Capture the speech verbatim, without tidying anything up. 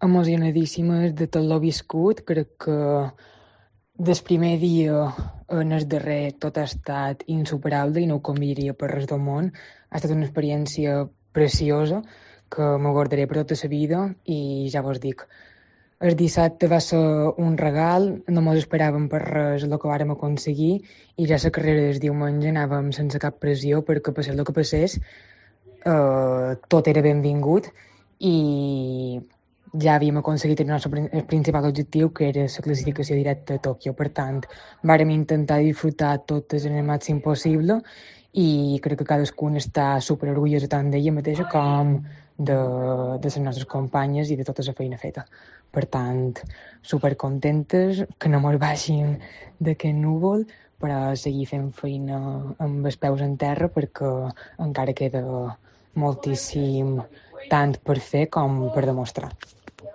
emocionadíssimes de tot lo viscut. Crec que del primer dia en el darrer tot ha estat insuperable i no ho canviaria per res del món. Ha estat una experiència preciosa que me guardaré per tota la vida i ja vos dic, el dissabte va ser un regal, no mos esperàvem per res el que vàrem aconseguir i ja la carrera del diumenge anàvem sense cap pressió perquè passés el que passés, eh, tot era benvingut i ja havíem aconseguit el nostre el principal objectiu, que era la classificació directa a Tòquio. Per tant, vàrem intentar disfrutar totes en el màxim possible i crec que cadascun està super orgullosa tant d'ella mateixa com de, de les nostres companyes i de tota la feina feta. Per tant, super contentes, que no mos baixin d'aquest núvol, però seguir fent feina amb els peus en terra perquè encara queda moltíssim tant per fer com per demostrar.